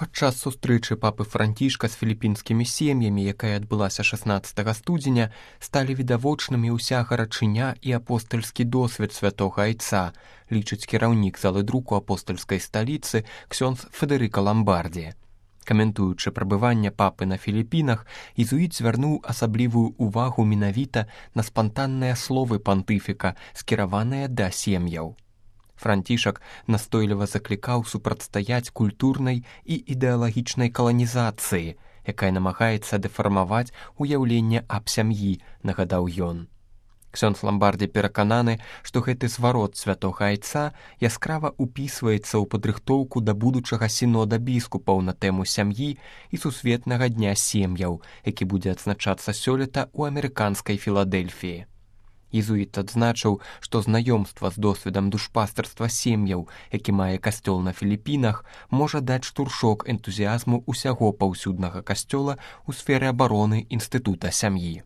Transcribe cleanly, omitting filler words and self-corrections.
Падчас сустрэчы папы Францішка з філіпінскімі сем'ямі, якая адбылася 16 студзеня, сталі відавочнымі ўся гарачыня і апостальскі досвед святога айца, лічыць кіраўнік залы друку апостальскай сталіцы ксёндз Федэрыка Ламбардзі. Каментуючы прабыванне папы на Філіпінах, езуіт звярнуў асаблівую ўвагу менавіта на спантанныя словы пантыфіка, скіраваныя да сем'яў. Францішак настойліва заклікаў супрацьстаяць культурнай і ідэалагічнай каланізацыі, якая намагаецца дэфармаваць уяўленне аб сям'і, нагадаў ён. Ксёндз Ламбардзі перакананы, што гэты зварот святога айца яскрава ўпісваецца ў падрыхтоўку да будучага сінода біскупаў на тэму сям'і і сусветнага дня сем'яў, які будзе адзначацца сёлета ў амерыканскай Філадэльфіі. Езуіт адзначыў, што знаёмства з досведам душпастарства сем'яў, які мае касцёл на Філіпінах, можа даць штуршок энтузіязму ўсяго паўсюднага касцёла ў сферы абароны інстытута сям'і.